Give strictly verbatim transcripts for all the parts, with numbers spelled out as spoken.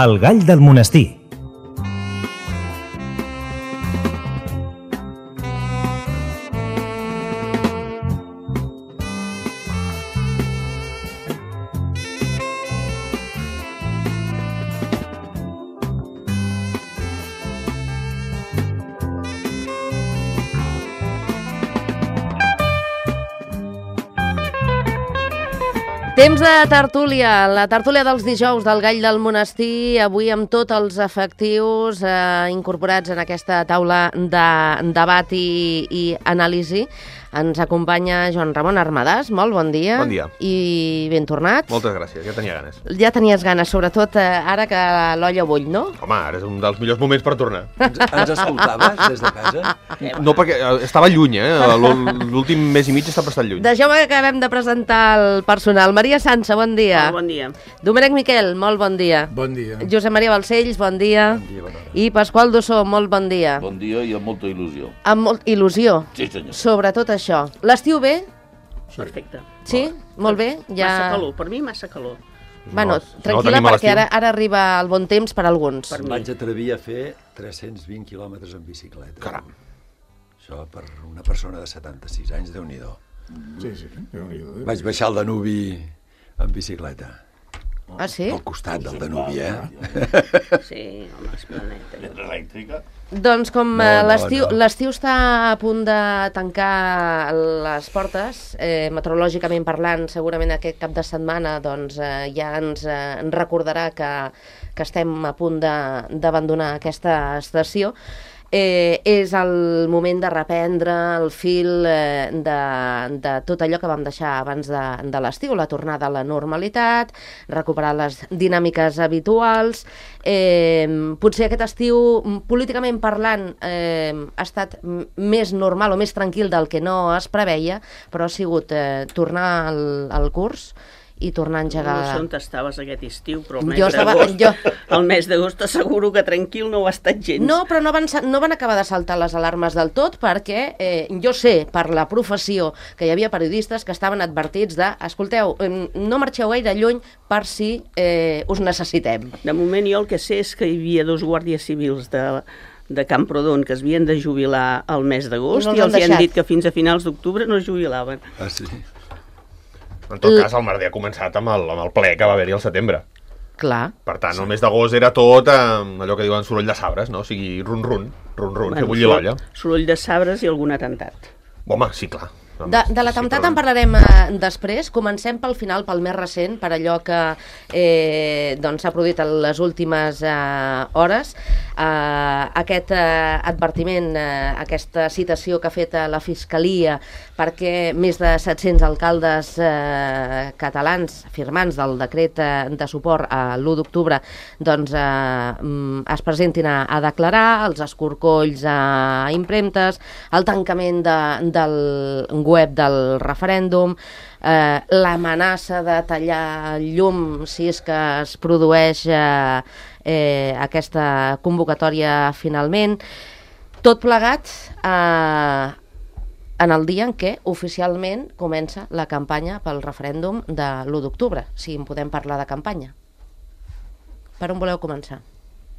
El gall del monestir. Temps de tertúlia, la tertúlia dels dijous del Gall del Monestir, avui amb tots els efectius eh, incorporats en aquesta taula de debat i, i anàlisi. Ens acompanya Joan Ramon Armadàs, molt bon dia. Bon dia. I ben tornat. Moltes gràcies, ja tenia ganes. Ja tenies ganes, sobretot eh, ara que l'olla bull, no? Home, ara és un dels millors moments per tornar. Ens, ens escoltaves des de casa? No, perquè estava lluny, eh? L'últim mes i mig està bastant lluny. Deixeu-me que acabem de presentar el personal. Maria Sansa, bon dia. Molt bon dia. Domènec Miquel, molt bon dia. Bon dia. Josep Maria Balcells, bon dia. Bon dia, bona hora. I Pasqual Dossó, molt bon dia. Bon dia i amb molta il·lusió. Amb molt il·lusió. Sí, senyor. Sobretot això. L'estiu bé? Perfecte. Sí? Molt bé? Ja... Massa calor, per mi massa calor. Bueno, No, tranquil·la, no tenim a perquè l'estiu. ara, ara arriba el bon temps per a alguns. Per mi. Vaig atrevir a fer tres-cents vint quilòmetres en bicicleta. Caram. Això per una persona de setanta-sis anys, Déu-n'hi-do. Sí, sí. Déu-n'hi-do. Vaig baixar el Danubi en bicicleta. Ah, sí? Al costat del Danubi, eh? Sí, home, és planeta. Mentre elèctrica. Doncs com No, eh, no, l'estiu no. l'estiu està a punt de tancar les portes, eh, meteorològicament parlant, segurament aquest cap de setmana doncs, eh, ja ens, eh, ens recordarà que, que estem a punt de- d'abandonar aquesta estació. Eh, és el moment de reprendre el fil eh, de, de tot allò que vam deixar abans de, de l'estiu, la tornada a la normalitat, recuperar les dinàmiques habituals. Eh, potser aquest estiu, m, políticament parlant, eh, ha estat m- més normal o més tranquil del que no es preveia, però ha sigut eh, tornar al, al curs i tornar a engegar... No sé on estaves aquest estiu, però el mes Jo estava- d'agost, jo- el mes d'agost t'asseguro que tranquil no ho ha estat gens. No, però no van, sa- no van acabar de saltar les alarmes del tot perquè eh, jo sé, per la professió, que hi havia periodistes que estaven advertits de escolteu, em, no marxeu gaire lluny per si eh, us necessitem. De moment jo el que sé és que hi havia dos guàrdies civils de, de Camprodon que es havien de jubilar al mes d'agost I no els i, han els hi han deixat. dit que fins a finals d'octubre no es jubilaven. Ah, sí? En tot cas, el merder ha començat amb el, amb el ple que va haver-hi al setembre. Clar. Per tant, el mes d'agost era tot amb allò que diuen soroll de sabres, no? O sigui, run-run, run-run, fer bullir l'olla. Soroll de sabres i algun atemptat. Home, sí, clar. De, de l'atemptat en parlarem eh, després. Comencem pel final, pel més recent, per allò que eh, doncs, s'ha produït en les últimes eh, hores. Eh, aquest eh, advertiment, eh, aquesta citació que ha fet eh, la Fiscalia perquè més de set-cents alcaldes eh, catalans firmants del decret eh, de suport a l'u d'octubre doncs, eh, mm, es presentin a, a declarar, els escorcolls a impremtes, el tancament de, del web del referèndum, eh, l'amenaça de tallar llum si és que es produeix eh, eh, aquesta convocatòria finalment. Tot plegat eh, en el dia en què oficialment comença la campanya pel referèndum de l'u d'octubre, si en podem parlar de campanya. Per on voleu començar?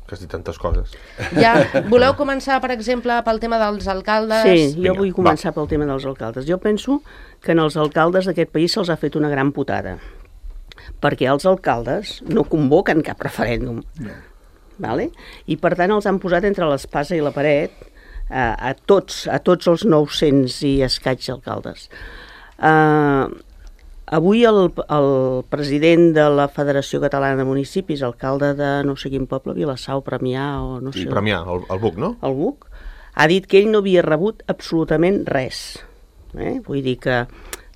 Que has dit tantes coses. Ja, voleu començar, per exemple, pel tema dels alcaldes? Sí, jo Vinga, vull començar pel tema dels alcaldes. Jo penso que en els alcaldes d'aquest país se'ls ha fet una gran putada, perquè els alcaldes no convoquen cap referèndum, vale? I per tant els han posat entre l'espasa i la paret eh, a, tots, a tots els nou-cents i escaig alcaldes. Eh, avui el, el president de la Federació Catalana de Municipis, alcalde de no sé quin poble, Vilassau, Premià o no Sí, sé... Premià, el, el buc, no? el B U C, ha dit que ell no havia rebut absolutament res. Eh? Vull dir que,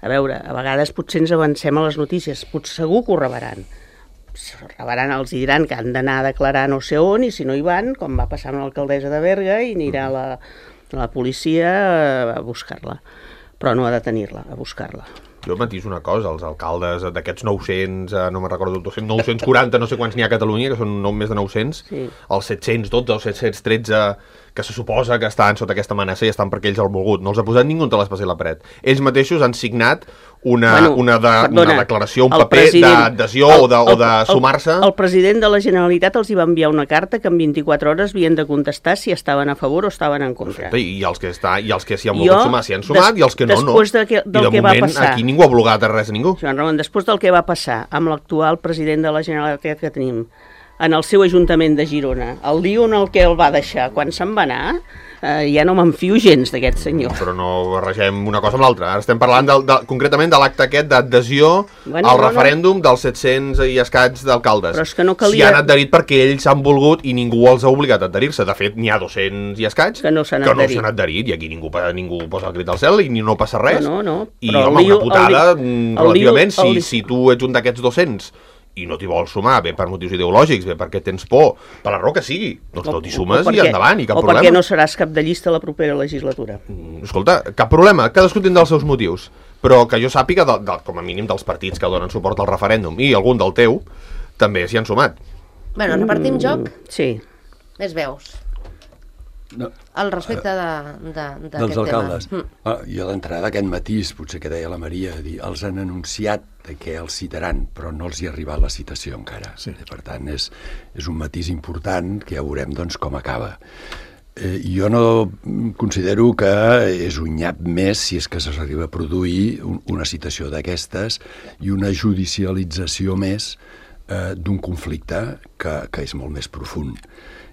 a veure, a vegades potser ens avancem a les notícies, potser segur que ho rebran. Si ho rebran, els diran que han d'anar a declarar no sé on, i si no hi van, com va passar amb l'alcaldessa de Berga, i anirà la, la policia a buscar-la. Però no a detenir-la, a buscar-la. Jo matiso una cosa, els alcaldes d'aquests nou-cents, eh, no me'n recordo, dos-cents, nou-cents quaranta, no sé quants n'hi ha a Catalunya, que són no, més de nou-cents, Sí. els set-cents dotze o set-cents tretze que se suposa que estan sota aquesta amenaça i estan perquè ells han volgut. No els ha posat ningú entre l'espasa i la paret. Ells mateixos han signat una, bueno, una, de, perdona, una declaració, un el paper president- d'adhesió el- o de, o de el- sumar-se. El, el president de la Generalitat els hi va enviar una carta que en vint-i-quatre hores havien de contestar si estaven a favor o estaven en contra. Perfecte, i els que, està, i els que s'hi han Jo, volgut sumar s'hi han sumat, des- i els que no, no. després de que- del I de que va moment passar- aquí ningú ha blogat a res a ningú. Joan Ramon, després del que va passar amb l'actual president de la Generalitat que tenim en el seu Ajuntament de Girona, el dia on el que el va deixar, quan se'n va anar, eh, ja no m'enfio gens d'aquest senyor. Però no barregem una cosa amb l'altra. Ara estem parlant del, de, concretament de l'acte aquest d'adhesió Bueno, al no, no. referèndum dels set-cents i escaig d'alcaldes. Però és que no S'hi calia- han adherit perquè ells han volgut i ningú els ha obligat a adherir-se. De fet, n'hi ha dos-cents i escaig Que no s'han que no adherit. s'han adherit i aquí ningú, ningú posa el crit al cel i ni no passa res. No, no, no. I, Però home, el lío- una putada, el li- mm, el lío- relativament, el li- si, si tu ets un d'aquests dos-cents i no t'hi vols sumar, bé per motius ideològics, bé perquè tens por, per la raó que sigui, doncs no t'hi sumes i endavant, i cap o problema. perquè no seràs cap de llista a la propera legislatura. Escolta, cap problema, cadascú tindrà els seus motius, però que jo sàpiga, de, de, com a mínim dels partits que donen suport al referèndum, i algun del teu, també s'hi han sumat. Bueno, repartim joc? Sí. Més veus. No, Al respecte de, de, d'aquest dels alcaldes. tema. Mm. Ah, jo d'entrada aquest matís, potser que deia la Maria, dir, els han anunciat que els citaran, però no els hi ha arribat la citació encara. Sí. Per tant, és, és un matís important que ja veurem doncs, com acaba. Eh, jo no considero que és un nyap més si és que s'arriba a produir un, una citació d'aquestes i una judicialització més eh, d'un conflicte que, que és molt més profund.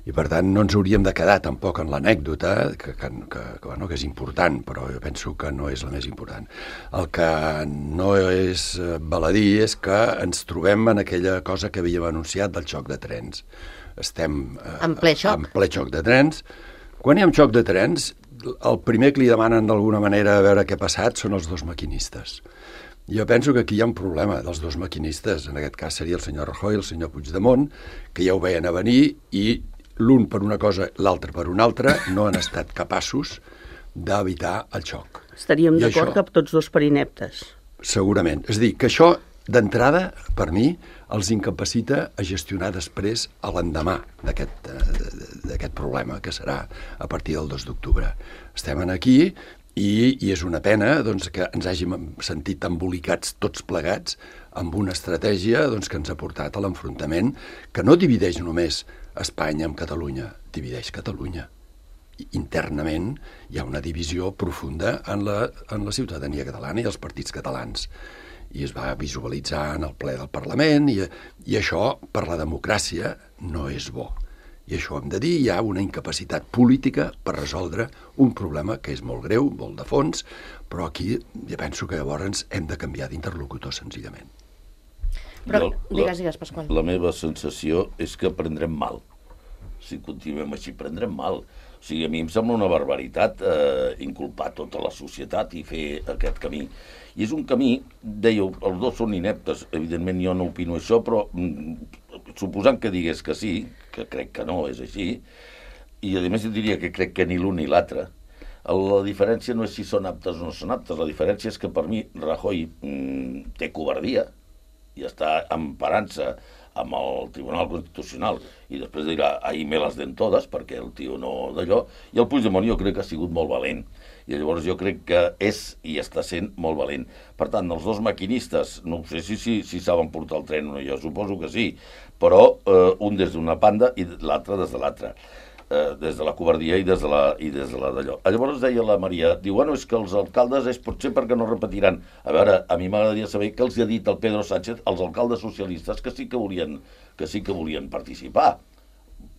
I per tant no ens hauríem de quedar tampoc en l'anècdota, que, que, que, que, bueno, que és important, però jo penso que no és la més important. El que no és eh, baladí és que ens trobem en aquella cosa que havíem anunciat del xoc de trens. Estem eh, En ple xoc. en ple xoc de trens. Quan hi ha un xoc de trens, el primer que li demanen d'alguna manera a veure què ha passat són els dos maquinistes. Jo penso que aquí hi ha un problema dels dos maquinistes, en aquest cas seria el senyor Rajoy i el senyor Puigdemont, que ja ho veien a venir i l'un per una cosa, l'altre per una altra, no han estat capaços d'evitar el xoc. Estaríem I d'acord això- que tots dos per ineptes. Segurament. És a dir, que això, d'entrada, per mi, els incapacita a gestionar després a l'endemà d'aquest eh, d'aquest problema, que serà a partir del dos d'octubre. Estem aquí i, i és una pena doncs, que ens hàgim sentit embolicats tots plegats amb una estratègia doncs, que ens ha portat a l'enfrontament que no divideix només Espanya amb Catalunya, divideix Catalunya. Internament hi ha una divisió profunda en la, en la ciutadania catalana i els partits catalans. I es va visualitzar en el ple del Parlament i, i això per la democràcia no és bo. I això ho hem de dir, hi ha una incapacitat política per resoldre un problema que és molt greu, molt de fons, però aquí ja penso que llavors hem de canviar d'interlocutor senzillament. Però, Jo, digues, digues, Pasqual. La meva sensació és que prendrem mal. Si continuem així, prendrem mal. O sigui, a mi em sembla una barbaritat eh, inculpar tota la societat i fer aquest camí. I és un camí, dèieu, els dos són ineptes, evidentment jo no opino això, però mm, suposant que digués que sí, que crec que no és així, i a més jo diria que crec que ni l'un ni l'altre, la diferència no és si són aptes o no són aptes, la diferència és que per mi Rajoy mm, té covardia i està emparant-se amb el Tribunal Constitucional i després dirà, ahí me las den todas, perquè el tio no d'allò, i el Puigdemont jo crec que ha sigut molt valent, i llavors jo crec que és i està sent molt valent. Per tant, els dos maquinistes, no sé si, si, si saben portar el tren o no, jo suposo que sí, però eh, un des d'una banda i l'altre des de l'altra. Eh, des de la covardia i des de la, i des de la d'allò. Llavors deia la Maria, diu, bueno, és que els alcaldes és potser perquè no repetiran. A veure, a mi m'agradaria saber què els ha dit el Pedro Sánchez als alcaldes socialistes que sí que volien, que sí que volien participar.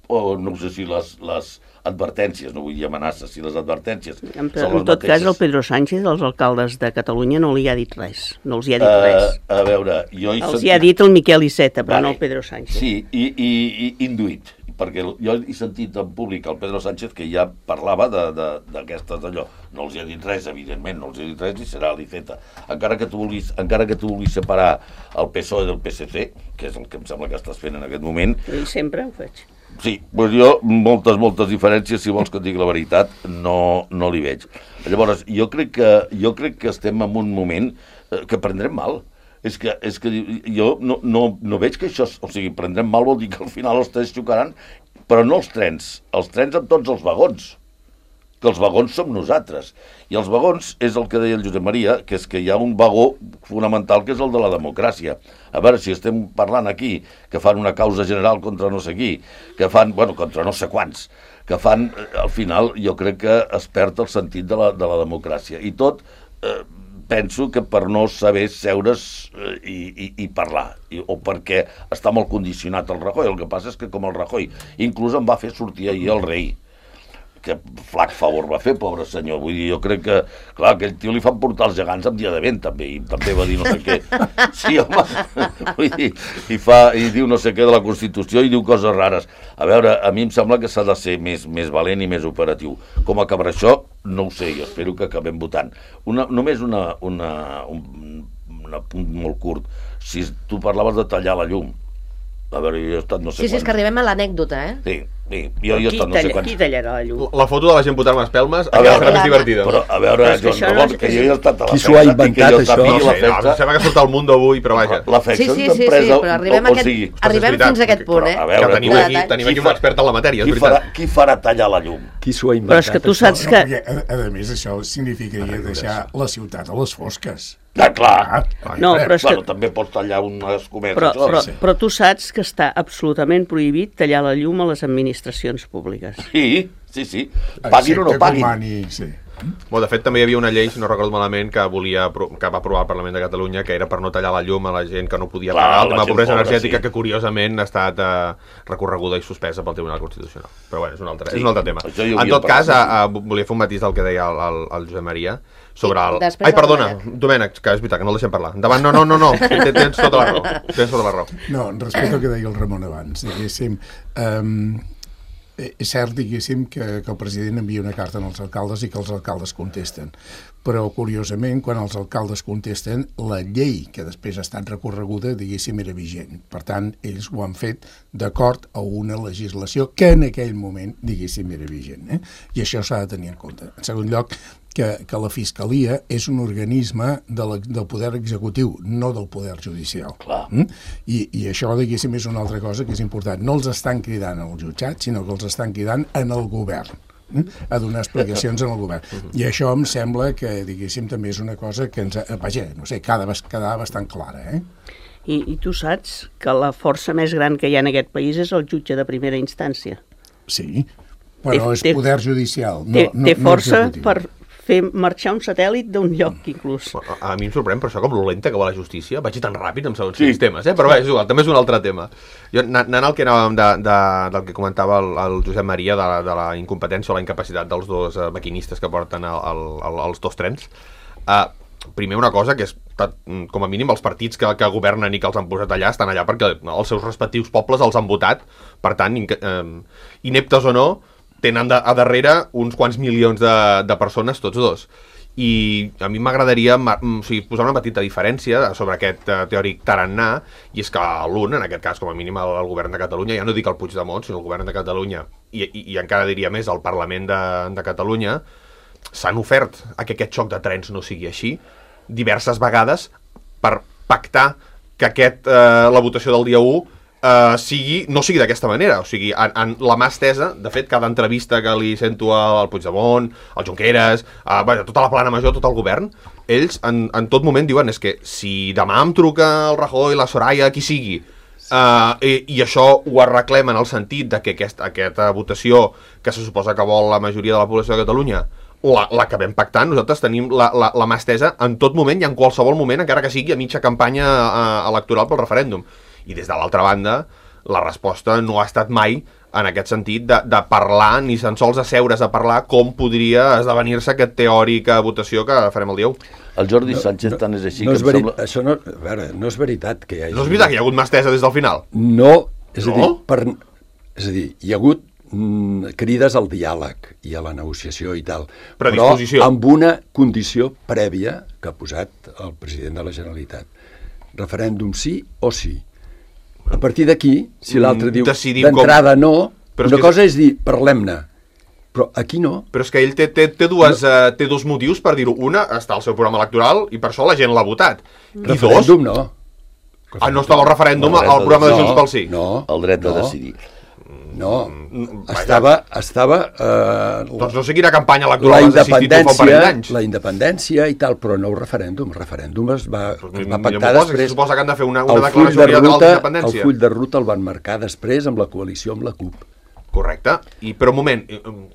O no sé si les, les advertències, no vull dir amenaces, si les advertències En, són en les tot cas, mateixes. el Pedro Sánchez, als alcaldes de Catalunya, no li ha dit res. No els hi ha dit Eh, res. a veure, jo he Els sentit... hi ha dit el Miquel Iceta, però Vale. no el Pedro Sánchez. Sí, i, i, i induït, perquè jo he sentit en públic el Pedro Sánchez que ja parlava d'aquestes d'allò. No els hi ha dit res, evidentment, no els hi ha dit res i serà l'Iceta. Encara que tu vulguis, encara que tu vulguis separar el P S O E del P S C, que és el que em sembla que estàs fent en aquest moment, I sempre ho faig. sí, doncs jo moltes, moltes diferències, si vols que et digui la veritat, no, no li veig. Llavors, jo crec que, jo crec que estem en un moment eh, que prendrem mal. És que, és que jo no, no, no veig que això... O sigui, prendrem mal vol dir que al final els tres xocaran però no els trens, els trens amb tots els vagons, que els vagons som nosaltres. I els vagons és el que deia el Josep Maria, que és que hi ha un vagó fonamental que és el de la democràcia. A veure, si estem parlant aquí que fan una causa general contra no sé qui, que fan, bueno, contra no sé quants, que fan, al final, jo crec que es perd el sentit de la, de la democràcia. I tot, eh, penso que per no saber seure's eh, i, i, i parlar, I, o perquè està molt condicionat el Rajoy. El que passa és que com el Rajoy inclús em va fer sortir ahir el rei, que flac favor va fer, pobre senyor. Vull dir, jo crec que, clar, aquell tio li fan portar els gegants amb dia de vent, també, i també va dir no sé què. Sí, home, vull dir, i, fa, i diu no sé què de la Constitució i diu coses rares. A veure, a mi em sembla que s'ha de ser més, més valent i més operatiu. Com acabarà això, no ho sé, jo espero que acabem votant. Una, només una, una, un, un punt molt curt. Si tu parlaves de tallar la llum, a veure, jo he estat no sé Sí, sí, és que arribem a l'anècdota, eh? Sí, sí, jo he estat no sé quants... Qui tallarà la llum? La foto de la gent posant les pelmes A veure, serà més divertida. Però, a veure, Però és que Joan això no Ramon, és que que- jo he estat a la Qui s'ho ha festa, inventat, i que jo això? sàpiga No la sé, no, festa... sembla que surt al Mundo avui, però vaja. La Sí, festa sí, sí, és sí, empresa... però arribem, o, a aquest, o sigui, arribem és veritat, fins a aquest punt, però, eh? a veure, que tenim tu- aquí, tenim qui aquí un fa- expert en la matèria, és qui farà, veritat. qui farà tallar la llum? Qui s'ho ha Però inventat, és que tu això? saps No, que... perquè, a, a més, això significaria deixar la ciutat a les fosques. Ah, clar. No, però és que... Bueno, també pots tallar una escomesa. Però, això. però, sí. però tu saps que està absolutament prohibit tallar la llum a les administracions públiques. Sí, sí, sí. Paguin o no Excepte paguin. Comani, sí. Bueno, de fet, també hi havia una llei, si no recordo malament, que volia apro- que va aprovar el Parlament de Catalunya, que era per no tallar la llum a la gent que no podia Clar, pagar el la tema de gent pobresa pobra, energètica, sí. que curiosament ha estat eh, recorreguda i suspesa pel Tribunal Constitucional. Però bueno, és un altre, Sí, és un altre tema. això hi En hauria tot cas, parlat. a, a, volia fer un matís del que deia el, el, el Josep Maria sobre el... després Ai, el perdona, Domènec. Domènec, que és veritat, que no el deixem parlar. Endavant, no, no, no, no, tens, tens tota la raó. Tens tota la raó. No, respecte al que deia el Ramon abans, diguéssim, um, és cert, diguéssim, que, que el president envia una carta als alcaldes i que els alcaldes contesten. Però, curiosament, quan els alcaldes contesten, la llei que després ha estat recorreguda, diguéssim, era vigent. Per tant, ells ho han fet d'acord a una legislació que en aquell moment, diguéssim, era vigent. Eh? I això s'ha de tenir en compte. En segon lloc, que, que la Fiscalia és un organisme de la, del poder executiu, no del poder judicial. Clar. Mm? I, I això, diguéssim, és una altra cosa que és important. No els estan cridant al jutjat, sinó que els estan cridant en el govern, mm? a donar explicacions en el govern. I això em sembla que, diguéssim, també és una cosa que ens... Ha, vaja, no sé, cada quedar bastant clara, eh? I, I tu saps que la força més gran que hi ha en aquest país és el jutge de primera instància. Sí, però Té- és té- poder judicial, no, Té, no, té no força executiu. per fer marxar un satèl·lit d'un lloc, inclús. A, a mi em sorprèn per això com lo lenta que va la justícia. Vaig tan ràpid amb segons Sí. quins temes, eh? Però bé, és igual, també és un altre tema. Jo, na- anant al que anàvem de, de, del que comentava el, el Josep Maria de la, de la incompetència o la incapacitat dels dos uh, maquinistes que porten el, el, el, els dos trens, uh, primer una cosa que és, com a mínim, els partits que, que governen i que els han posat allà estan allà perquè els seus respectius pobles els han votat, per tant, in, uh, ineptes o no, tenen de, a darrere uns quants milions de, de persones, tots dos. I a mi m'agradaria o sigui, posar una petita diferència sobre aquest uh, teòric tarannà, i és que l'un, en aquest cas, com a mínim, el, el govern de Catalunya, ja no dic el Puigdemont, sinó el govern de Catalunya, i, i, i encara diria més, el Parlament de, de Catalunya, s'han ofert a que aquest xoc de trens no sigui així diverses vegades per pactar que aquest, eh, la votació del dia u Uh, sigui, no sigui d'aquesta manera, o sigui, en, en la mà estesa, de fet, cada entrevista que li sento al Puigdemont, al Junqueras, uh, bueno, tota la plana major, tot el govern, ells en, en tot moment diuen és que si demà em truca el Rajoy, la Soraya, qui sigui, uh, i, i això ho arreglem en el sentit de que aquest, aquesta votació que se suposa que vol la majoria de la població de Catalunya l'acabem pactant, nosaltres tenim la, la, la mà estesa en tot moment i en qualsevol moment, encara que sigui a mitja campanya uh, electoral pel referèndum. I des de l'altra banda, la resposta no ha estat mai en aquest sentit de, de parlar, ni tan sols asseure's a parlar com podria esdevenir-se aquest teòrica votació que farem el dia u. El Jordi Sánchez tant és així no que és em veri... sembla... Això no, a veure, no és veritat que hi hagi... No és veritat que hi ha hagut mà estesa des del final? No, és a dir, No? per... és a dir, hi ha hagut mm, crides al diàleg i a la negociació i tal, Predisposició. però amb una condició prèvia que ha posat el president de la Generalitat. Referèndum sí o sí. A partir d'aquí, si l'altre diu Decidim d'entrada com... no, Però és una que cosa és dir, parlem-ne, però aquí no. Però és que ell té, té, té, dues, no. uh, té dos motius per dir-ho. Una, està al seu programa electoral i per això la gent l'ha votat. I dos... Referèndum no. Ah, no estava el referèndum El al dret programa de de Junts pel Sí. No, El dret de no. decidir. No, Vaja. estava... estava eh, Doncs no sé quina campanya la electoral has assistit tu fa un parell independència, d'anys. la independència i tal, però no el referèndum. El referèndum es va, es va Millor pactar m'ho posa, que després. se suposa que han de fer una, una El full declaració de unilateral ruta, el d'independència. full de ruta el van marcar després amb la coalició amb la CUP. Correcte. I, però un moment,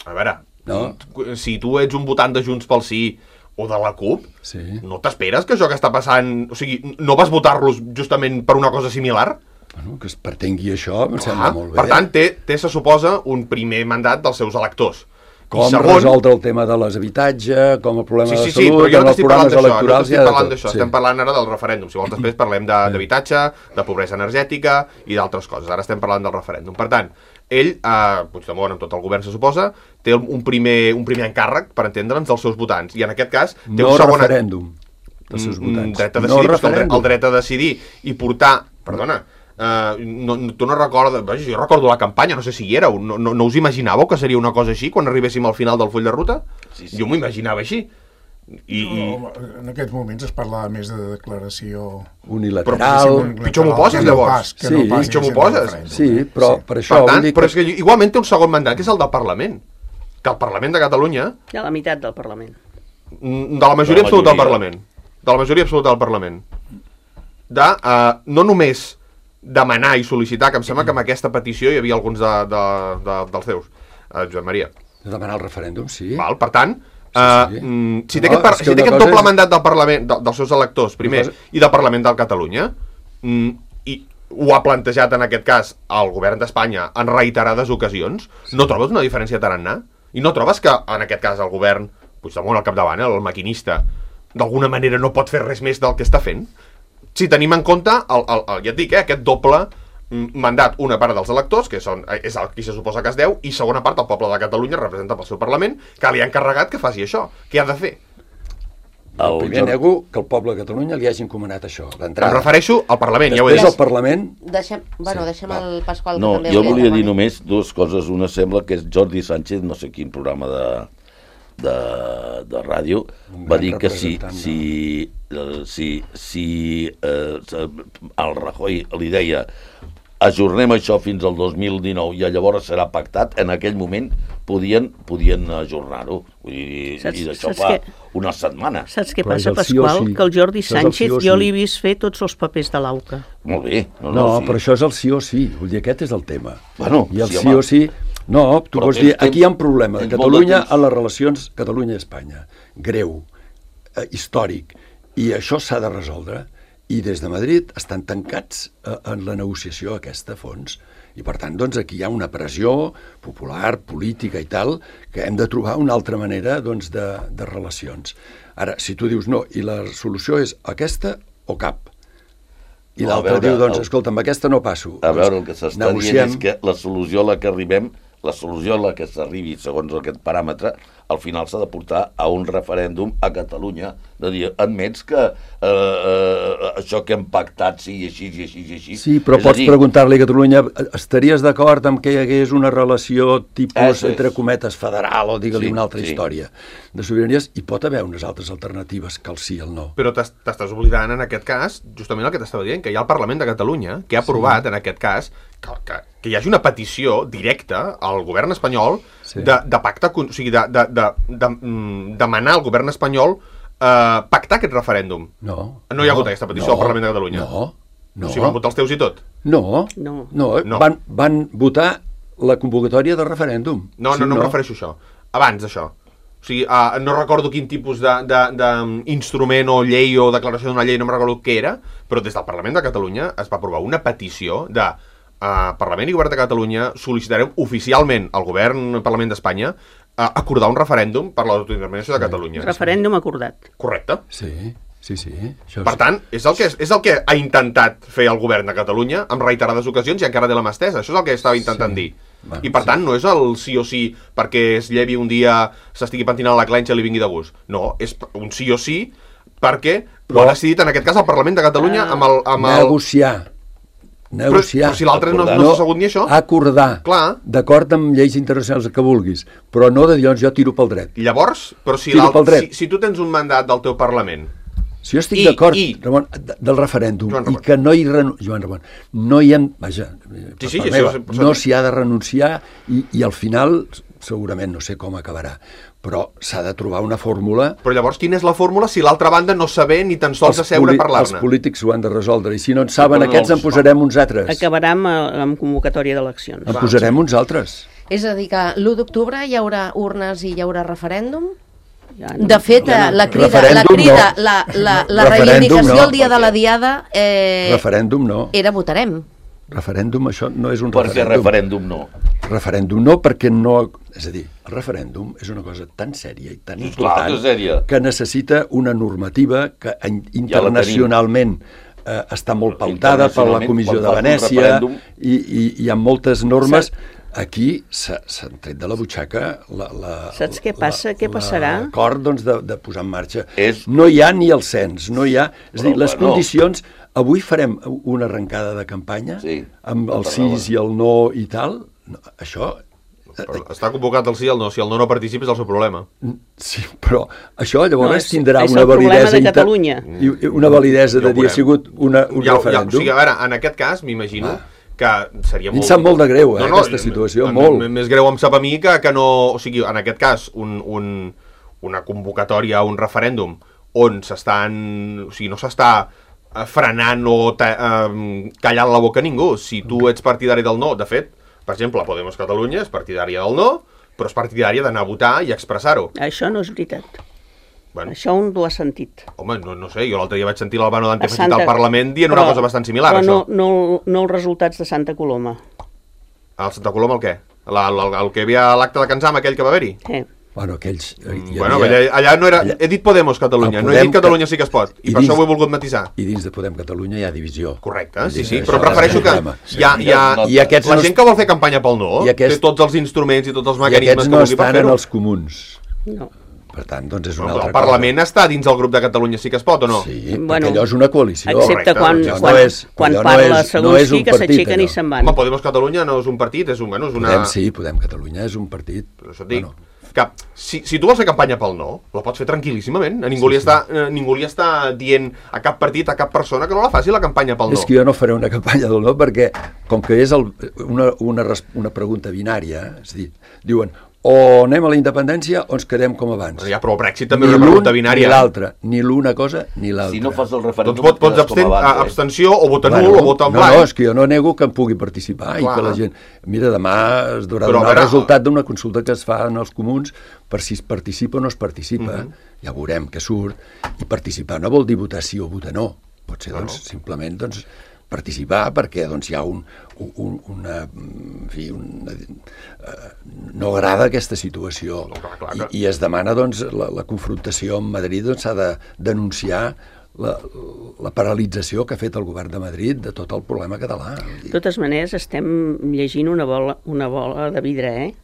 a veure, No. si tu ets un votant de Junts pel Sí o de la CUP, Sí. no t'esperes que això que està passant... O sigui, no vas votar-los justament per una cosa similar? Bueno, que es pretengui això em sembla Ah, molt bé. per tant, té, té, se suposa, un primer mandat dels seus electors. Com I segon, resoldre el tema de les habitatges, com el problema Sí, sí, de sí, salut, però jo no amb els t'estic parlant programes d'això, no electorals... t'estic hi ha de parlant tot, d'això, sí. estem parlant ara del referèndum. Si vols després parlem de- d'habitatge, de pobresa energètica i d'altres coses. Ara estem parlant del referèndum. Per tant, ell, eh, Puigdemont, amb tot el govern se suposa, té un primer, un primer encàrrec, per entendre'ns, dels seus votants. I en aquest cas té No un segon... referèndum dels seus Mm, votants. dret a No decidir, però és que el, dret, referèndum. el dret a decidir i portar... Perdona, Uh, no, tu no recordes... Vaja, jo recordo la campanya, no sé si hi éreu. No, no, no us imaginàveu que seria una cosa així quan arribéssim al final del full de ruta? Sí, sí. Jo m'ho imaginava així. I, i... No, en aquests moments es parlava més de declaració... Unilateral... Però, pitjor m'ho poses, que no llavors. pas, que Sí, no pas pitjor m'ho sent poses. referèndum. Sí, però per això... Per tant, vull dir però és que igualment té un segon mandat, que és el del Parlament. Que el Parlament de Catalunya, Hi ha la meitat del Parlament. mm, de la majoria De la absoluta del majoria. Parlament, de la majoria absoluta del Parlament, de uh, no només demanar i sol·licitar, que em sembla que amb aquesta petició hi havia alguns de, de, de, dels teus, uh, Josep Maria. De demanar el referèndum, sí. Val? Per tant, Sí, uh, sí. mm, si té No, aquest, par és que si té una aquest cosa doble és- mandat del Parlament, de, dels seus electors, primer, Una cosa- i del Parlament de Catalunya, mm, i ho ha plantejat en aquest cas el govern d'Espanya en reiterades ocasions, no trobes una diferència tarannà? I no trobes que, en aquest cas, el govern, Puigdemont al capdavant, eh, el maquinista, d'alguna manera no pot fer res més del que està fent? Si tenim en compte, el, el, el, ja et dic, eh, aquest doble mm, mandat, una part dels electors, que són, eh, és el qui se suposa que es deu, i segona part, el poble de Catalunya, representat pel seu Parlament, que li ha encarregat que faci això. Què ha de fer? El Primer Jordi- nego que el poble de Catalunya li hagi encomanat això, Em d'entrada. refereixo al Parlament, ja ho he Després dit. el Parlament... Deixem, bueno, deixem va. el Pasqual, No, que també jo hauria volia de dir demanar. només dues coses. Una sembla que és Jordi Sánchez, no sé quin programa de, de, de ràdio, Un va gran dir que si, representant, si, eh, si, si eh, el Rajoy li deia ajornem això fins al dos mil dinou i llavors serà pactat, en aquell moment podien, podien ajornar-ho. Vull dir, Saps- i d'això saps fa què? una setmana. Saps què Però és passa, el sí o Pasqual? sí. Que el Jordi Això és el sí Sánchez o jo sí. l'he vist fer tots els papers de l'Auca. Molt bé. No, No, no, sí. però això és el sí o sí. Vull dir, aquest és el tema. Bueno, I el sí, sí home. o sí... No, tu Però vols tens dir, aquí hi ha un problema de tens molt de Catalunya temps. en les relacions Catalunya-Espanya. Greu, eh, històric. I això s'ha de resoldre. I des de Madrid estan tancats eh, en la negociació aquesta a fons. I per tant, doncs, aquí hi ha una pressió popular, política i tal, que hem de trobar una altra manera doncs, de, de relacions. Ara, si tu dius no, i la solució és aquesta o cap, i No, a l'altre veure, diu, doncs, el- escolta, amb aquesta no passo. A Doncs veure, el que s'està dient negociem. és que la solució a la que arribem, la solució a la que s'arribi segons aquest paràmetre, al final s'ha de portar a un referèndum a Catalunya, de dir, admets que eh, eh, això que hem pactat sigui així i així i així. Sí, però És a pots dir, preguntar-li a Catalunya, estaries d'acord amb que hi hagués una relació tipus, Això és. entre cometes, federal, o digue-li Sí, una altra sí. història de sobiranies? Hi pot haver unes altres alternatives que el sí i el no. Però t'es- t'estàs oblidant en aquest cas, justament el que t'estava dient, que hi ha el Parlament de Catalunya, que ha aprovat, sí. en aquest cas, que, que, que hi hagi una petició directa al govern espanyol Sí. de, de pactar, o sigui, de, de, de, de, mm, demanar al govern espanyol eh, pactar aquest referèndum. No. No hi ha hagut aquesta petició al Parlament de Catalunya. No, no. O sigui, van votar els teus i tot. No, No. no, No. Van, van votar la convocatòria de referèndum. No, Sí, no, no, em refereixo a això. Abans d'això. O sigui, uh, no recordo quin tipus d'instrument o llei o declaració d'una llei, no em recordo què era, però des del Parlament de Catalunya es va aprovar una petició de uh, Parlament i Govern de Catalunya sol·licitarem oficialment al Govern i Parlament d'Espanya uh, acordar un referèndum per l'autodeterminació de Catalunya. Referèndum acordat. Correcte. Sí, sí, sí. Això Per tant, és el, que, és el que ha intentat fer el govern de Catalunya en reiterades ocasions i encara té la mà estesa. Això és el que estava intentant Sí. dir. Va, I per sí. tant, no és el sí o sí perquè es llevi un dia, s'estigui pentinant la clenxa i li vingui de gust. No, és un sí o sí perquè Però- ho ha decidit en aquest cas el Parlament de Catalunya amb el... Amb el... negociar. Però, Negociar. però si l'altre no, no No, s'ha assegut ni això. Acordar. Clar. D'acord amb lleis internacionals que vulguis, però no de dir, doncs jo tiro pel dret. Llavors, però si, Tiro l'altre- pel dret. si, si tu tens un mandat del teu Parlament Si jo estic I- d'acord, i- Ramon, de- del referèndum, Joan i Ramon. que no hi renu... Joan Ramon, no hi hem... Vaja, Sí, sí, per part això meva, és- per no això- s'hi ha de renunciar i, i al final, segurament, no sé com acabarà, però s'ha de trobar una fórmula. Però llavors, quina és la fórmula si l'altra banda no saber ni tan sols asseure poli- a parlar-ne? els polítics ho han de resoldre, i si no en saben però no aquests, els en posarem uns altres. Acabarà amb, amb convocatòria d'eleccions. En posarem uns altres. És a dir, que l'u d'octubre hi haurà urnes i hi haurà referèndum? Ja no- De fet, ja no. la crida, la, Referèndum crida, no. la, la, la Referèndum reivindicació no, el dia de la diada eh, Referèndum no. era votarem. Referèndum, això no és un Per què referèndum. referèndum no? Referèndum no, perquè no... És a dir, el referèndum és una cosa tan sèria i tan Clar important que és sèria. que necessita una normativa que in- internacionalment eh, està molt pautada per la Internacionalment, Comissió quan de fas un Venècia referèndum- i, i hi ha moltes normes. Aquí s'ha- s'han tret de la butxaca la, la, Saps què passa? Què passarà? L'acord doncs, de, de posar en marxa. És- No hi ha ni el cens, no hi ha... És a dir, Però, les bueno. condicions... Avui farem una arrencada de campanya Sí, amb el tota sí raó. i el no i tal. No, això... Però està convocat el sí i el no. Si el no no participa és el seu problema. Sí, però això llavors No, és- tindrà és una el problema validesa... de inter- Catalunya. I, i una validesa Ja ho de dir ha veurem. sigut una, un Ja, ja, o referèndum. sigui, a veure, en aquest cas, m'imagino Ah. que seria A mi em molt... sap molt de greu, eh, aquesta situació, m- molt. m- Més greu em sap a mi que, que no... O sigui, en aquest cas, un, un, una convocatòria, un referèndum, on s'estan... O sigui, no s'està eh, frenant o ta, eh, callant la boca a ningú. Si tu ets partidari del no, de fet, per exemple, Podemos Catalunya és partidària del no, però és partidària d'anar a votar i expressar-ho. Això no és veritat. Bueno, Això un ho ha sentit. home, no, no sé, jo l'altre dia vaig sentir l'Albano Dante A Petit Santa- al Parlament dient una però- cosa bastant similar, però això. no, no, no els resultats de Santa Coloma. El Santa Coloma el què? La, el, el que hi havia a l'acte de Cansam, aquell que va haver-hi? Eh. Bueno, aquells... eh, hi Bueno, havia- allà, allà no era... allà- He dit Podemos Catalunya, El no he Podem dit Catalunya que- sí que es pot. I, i per dins- això ho he volgut matisar. I dins de Podem Catalunya hi ha divisió. Correcte, sí, Vull sí, dir, però això prefereixo és que un problema. hi ha, hi ha, I aquests la no gent es- que vol fer campanya pel no I aquests- té tots els instruments i tots els I mecanismes aquests que no vulgui per estan en fer-ho. els comuns. No. Per tant, doncs és Però una el altra Parlament està dins del grup de Catalunya sí que es pot o no? cosa. Sí, Bueno, perquè allò és una coalició. Excepte correcte, quan, doncs ja quan, no és- quan allò no parla és- no és Segurski, un que partit, s'aixequen i allò. se'n van. Home, Podemos Catalunya no és un partit, és, un, bueno, és una... Podem, sí, Podem Catalunya és un partit. Però això et dic, que si, si tu vols fer campanya pel no, la pots fer tranquil·líssimament. A ningú, Sí, li sí. està, eh, ningú li està dient a cap partit, a cap persona que no la faci la campanya pel no. És que jo no faré una campanya del no perquè, com que és el, una, una, res- una pregunta binària, és a dir, diuen o anem a la independència o ens quedem com abans. Bueno, ja, però el Brexit també Ni és una pregunta l'un binària. Ni l'altre, ni l'una cosa ni l'altra. Si no fas el referèndum... Doncs pot, pots quedes com absten, abans, a- eh? abstenció o votar Bueno, nul o votar en no, blanc. no, és que jo no nego que em pugui participar Clar. i que la gent... Mira, demà es durà Però, a donar el veure, resultat d'una consulta que es fa en els comuns per si es participa o no es participa. Mhm. Ja veurem què surt. I participar no vol dir votar sí o votar no. Pot ser, No, doncs, no. simplement doncs, participar perquè doncs, hi ha un, un, una... En fi, una, eh, no agrada aquesta situació. No, clar, clar que- I, i es demana doncs, la, la confrontació amb Madrid doncs, s'ha de denunciar la, la paralització que ha fet el govern de Madrid de tot el problema català. Vull dir, De totes maneres, estem llegint una bola, una bola de vidre, eh?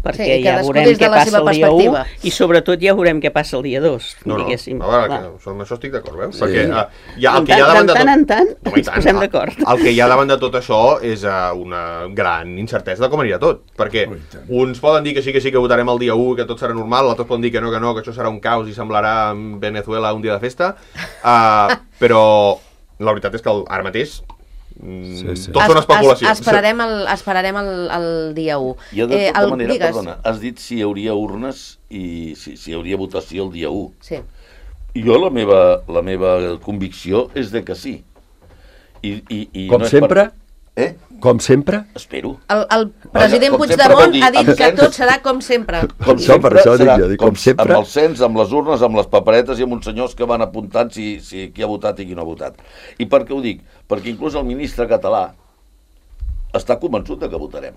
Perquè Sí, ja cadascú veurem des de què la passa seva el dia u perspectiva. i sobretot ja veurem què passa el dia dos, No, no, diguéssim. a veure, Clar. que, amb això estic d'acord, veus? Sí. Perquè uh, hi ha, el En que hi ha tant- davant de de tot... tant en tant Home, i ens posem el- d'acord. El que hi ha davant de tot això és uh, una gran incertesa de com anirà tot, perquè Oh, i tant. uns poden dir que sí, que sí, que votarem el dia u, que tot serà normal, altres poden dir que no, que no, que això serà un caos i semblarà Venezuela un dia de festa, uh, però la veritat és que el, ara mateix mm, Sí, sí. tot són Es- especulacions. es- Esperarem el, esperarem el, el dia u. I de tota el- manera, digues. perdona, has dit si hi hauria urnes i si, si hi hauria votació el dia u. Sí. Jo la meva, la meva convicció és de que sí. I, i, i Com no és sempre? Per... Eh? Com sempre? Espero. El, el president com sempre Puigdemont vol dir, ha dit amb que cens- tot serà com sempre. Com Això, per això dic serà jo, dic, com sempre. Amb el cens, amb les urnes, amb les paperetes i amb uns senyors que van apuntant si, si qui ha votat i qui no ha votat. I per què ho dic? Perquè inclús el ministre català està convençut de que votarem.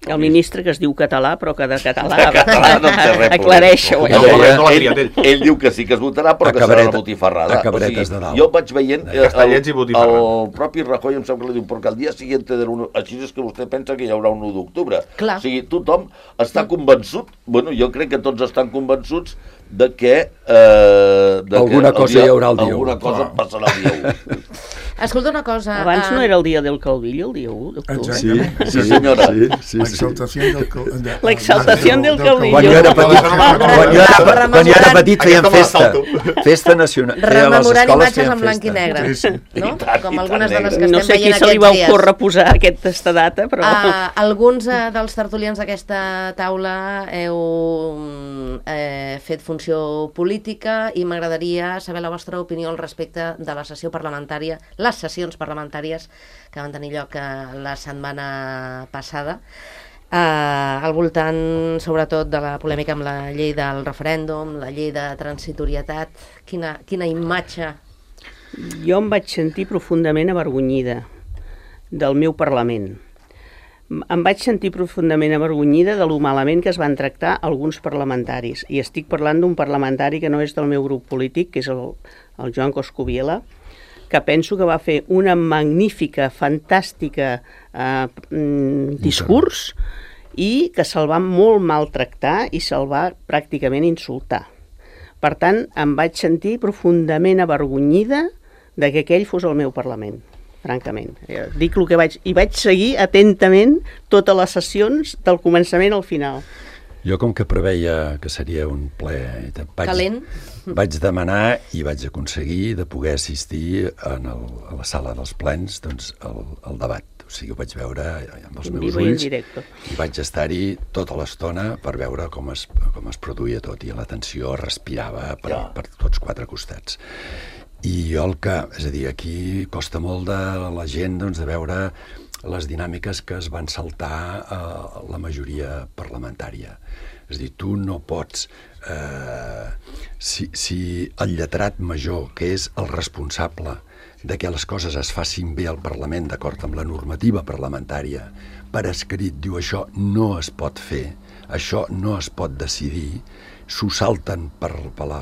El ministre que es diu català, però que de català... De català no en té res. Aclareixo-ho. No, eh? no, no l'ha ell, triat ell. ell diu que sí que es votarà, però que serà Cabareta- una botifarrada. a cabaretes de dalt. Jo vaig veient... eh, Castellets i el, botifarra. el propi Rajoy em sembla que li diu, perquè el dia siguiente de l'u... Així és que vostè pensa que hi haurà un u d'octubre. Clar. O sigui, tothom està convençut, bueno, jo crec que tots estan convençuts de que... Eh, de Alguna que el cosa hi haurà el dia u. Alguna cosa passarà el dia u. Escolta una cosa... Abans uh... no era el dia del Calvillo, el dia u d'octubre? Sí, sí, senyora. Sí, sí, sí. L'exaltació del... De... L'exaltació del Calvillo. Quan jo era petit, quan jo era, quan jo era petit feien festa. Festa nacional. Rememorant imatges en blanc i negre, no? Com algunes de les que estem no sé veient qui se li va aquests dies. ocórrer posar aquesta data, però... Uh, alguns uh, dels tertulians d'aquesta taula heu eh, fet funció política i m'agradaria saber la vostra opinió al respecte de la sessió parlamentària, les sessions parlamentàries que van tenir lloc uh, la setmana passada, uh, al voltant sobretot de la polèmica amb la llei del referèndum, la llei de transitorietat. Quina, quina imatge? Jo em vaig sentir profundament avergonyida del meu Parlament. Em vaig sentir profundament avergonyida de lo malament que es van tractar alguns parlamentaris. I estic parlant d'un parlamentari que no és del meu grup polític, que és el, el Joan Coscubiela, que penso que va fer una magnífica, fantàstica eh, discurs i que se'l va molt maltractar i se'l va pràcticament insultar. Per tant, em vaig sentir profundament avergonyida de que aquell fos el meu Parlament, francament. Dic el que vaig... I vaig seguir atentament totes les sessions del començament al final. Jo, com que preveia que seria un ple vaig, calent, vaig demanar i vaig aconseguir de poder assistir en el, a la sala dels plens doncs, al, al debat. O sigui, ho vaig veure amb els meus ulls i vaig estar-hi tota l'estona per veure com es, com es produïa tot i la tensió respirava per, per tots quatre costats. I jo el que, és a dir, aquí costa molt de la gent doncs, de veure les dinàmiques que es van saltar a la majoria parlamentària. És a dir, tu no pots... Eh, si, si el lletrat major, que és el responsable de que les coses es facin bé al Parlament d'acord amb la normativa parlamentària, per escrit diu això no es pot fer, això no es pot decidir, s'ho salten per, per la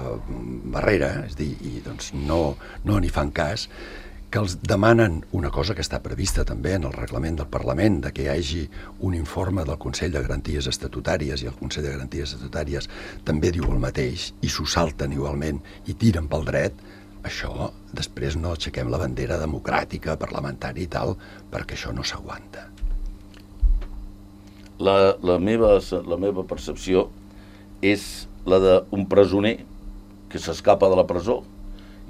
barrera, és a dir, i doncs no, no n'hi fan cas, que els demanen una cosa que està prevista també en el reglament del Parlament, de que hi hagi un informe del Consell de Garanties Estatutàries, i el Consell de Garanties Estatutàries també diu el mateix, i s'ho salten igualment i tiren pel dret. Això, després no aixequem la bandera democràtica, parlamentària i tal, perquè això no s'aguanta. La, la, meva, la meva percepció és la d'un presoner que s'escapa de la presó